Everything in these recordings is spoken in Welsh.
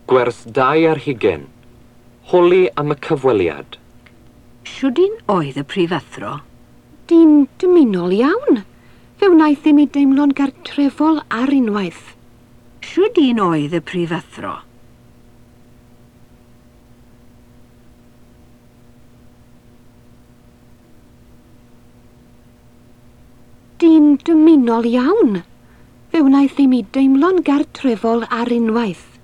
Gwers 2. Holi am y cyfweliad. Shwd un oedd y prifathro? Dyn dymunol iawn. Fe wnaeth i mi deimlo'n gartrefol ar unwaith. Shwd un oedd y prifathro? Dyn dymunol iawn. Fe wnaeth i mi deimlo'n gartrefol ar unwaith.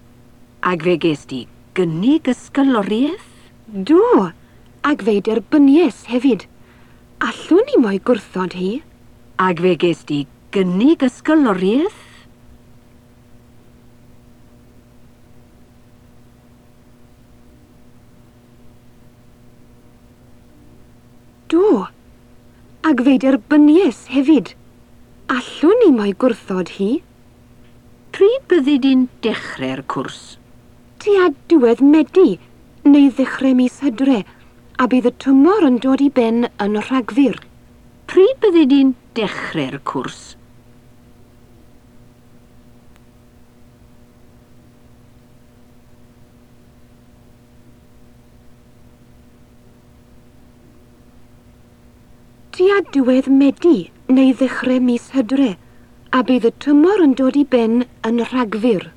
Ac fe ges di gynnig ysgoloriaeth? Do, ac fe'i derbyniais hefyd. Allwn i mo'i gwrthod hi. Ac fe ges di gynnig ysgoloriaeth? Do, ac fe'i derbyniais hefyd. Allwn i mo'i gwrthod hi. Pryd byddi di'n dechrau'r cwrs? Tua diwedd Medi, neu ddechrau mis Hydre, a bydd y tymor yn dod i ben yn Rhagfyr. Pryd byddi di'n dechrau'r cwrs? Tua diwedd Medi neu ddechrau mis Hydre, a bydd y tymor yn dod i ben yn Rhagfyr.